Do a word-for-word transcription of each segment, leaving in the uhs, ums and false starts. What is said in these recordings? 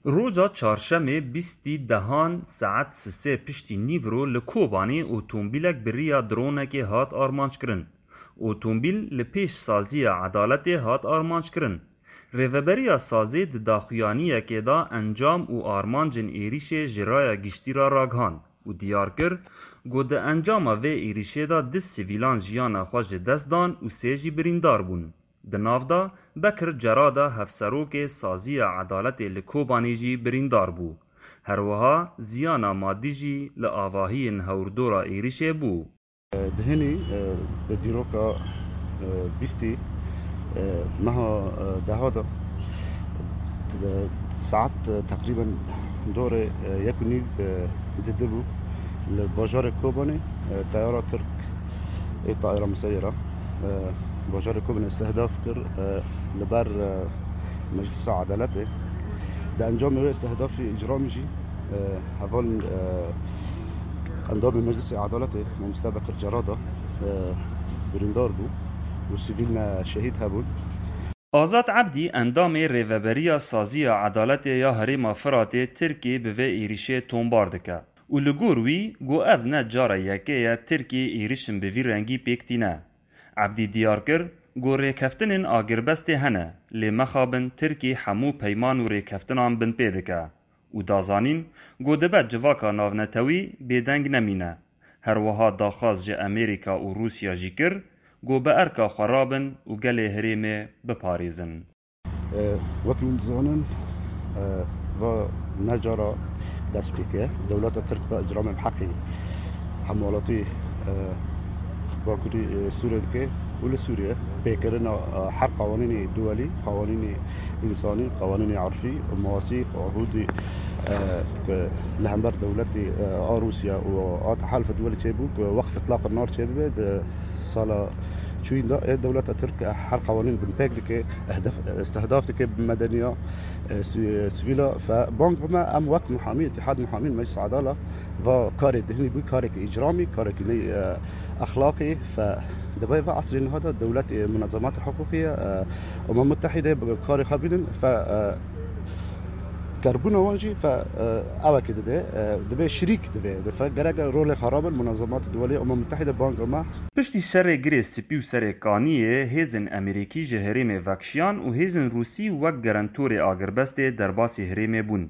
Roja çarşemê bîstî dehan saet sisê piştî nîvro li Kobanê otomobîlek bi riya dronekê hat armanckirin. Otomobîl li pêş saziya edaletê hat armanckirin. Rêveberiya sazê di daxuyaniyekê de encam û armancên êrîşê ji raya giştî re ragihand û diyar kir ku di encama vê êrîşê de du sivîlan jiyana xwe ji dest dan û sê jî birîndar bûn. Di nav de Bekir Cerada hevserokê Saziya Edaletê li Kobanê jî birîndar bû. Her wiha ziyana madî jî li avahiyên hewrdora êrîşê bû. Di hinî, e, di dîroka, e, bîstî, e, meha, e, deha de, e, saet, e, teqrîben dorê, e, yek û nîv, e, didi bû. Li bajarê Kobanê, e, teyara Tirk ê tayara Misirê re, e, bajarê Kobanê istihdaf kir, e, li ber, e, Meclisa Edaletê. Di encamê wê istihdafî îcramî jî, e, hevalên, e, endamê Meclisê Edaletê, Mamoste Bekir Cerada, e, birîndar bû û sivîl ne şehîd hebûn. Azad Ebdî, endamê Rêveberiya Saziya Edaletê ya Herêma Firatê Tirkiyê bi vê êrîşê tombar dike û li gor wî got ev ne cara yekê ye Tirkiyê êrîşin bi vî rengî pêk tîne. Ebdî diyar kir, got rêkeftinên agirbestê hene, lê mexabin Tirkiyê hemû peyman û rêkeftinan binpê dike û da zanîn, got dibe civaka navnetewî bêdeng nemîne. Her wiha daxwaz ji Amerîka û Rûsya jî kir, got bi erka xwe rabin û gelê herêmê biparêzin. E, wekî hûn dizanin, e, va ne cara dest pê kiriye. Dewleta Tirk va îcramên heqî hemwelatî, e, Bakurî, e, Sûriyê dike û li Sûriye pêkirina, e, her qewanînê duwelî, qewanînê însanî, qewanînê erfî, mewasîq, ehûdî, e, ku li hember dewletê, e, a Rûsya û a Tehelfa Duwelî çêbû, ku weqf îtlaq nar çêbibe, di sala çûyîn de, ê dewleta Tirk her qewanîn binpêk dike, ehdef, istihdaf dike medeniya, e, si-, sivîla. Fe bang me em wek muhamî, Îtîhad Muhamîn Meclis Edala, va karê dihinî bû, karekî îcramî, karekî ney, e, exlaqî. Fe dibe ve esrê niha de dewlet, e, munezemat hiqûqî ye, e, Umem Mutehîde bi karê xwe bînin. Fe, e, Kerbûna wan jî fe, e, ewekê dide, e, dibe şirîk dibe, dibe fe gerek rolê xwe rabin, munezemat duwelî Umem Mutehîde banga me. Piştî şerê Girê Spî û Serê Kaniyê hêzên Amerîkî ji herêmê vekşiyan û hêzên Rûsî wek gerentorê agirbestê derbasî herêmê bûn.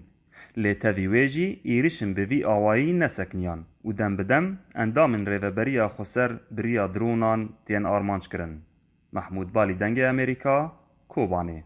Lê tevî wê jî êrişin bi vî awayî nesekiniyan û dem bi dem endamên Rêveberiya Xweser bi riya dronan tên armanc kirin. Mehmûd Balî, Dengê Amerîka, Kobanê.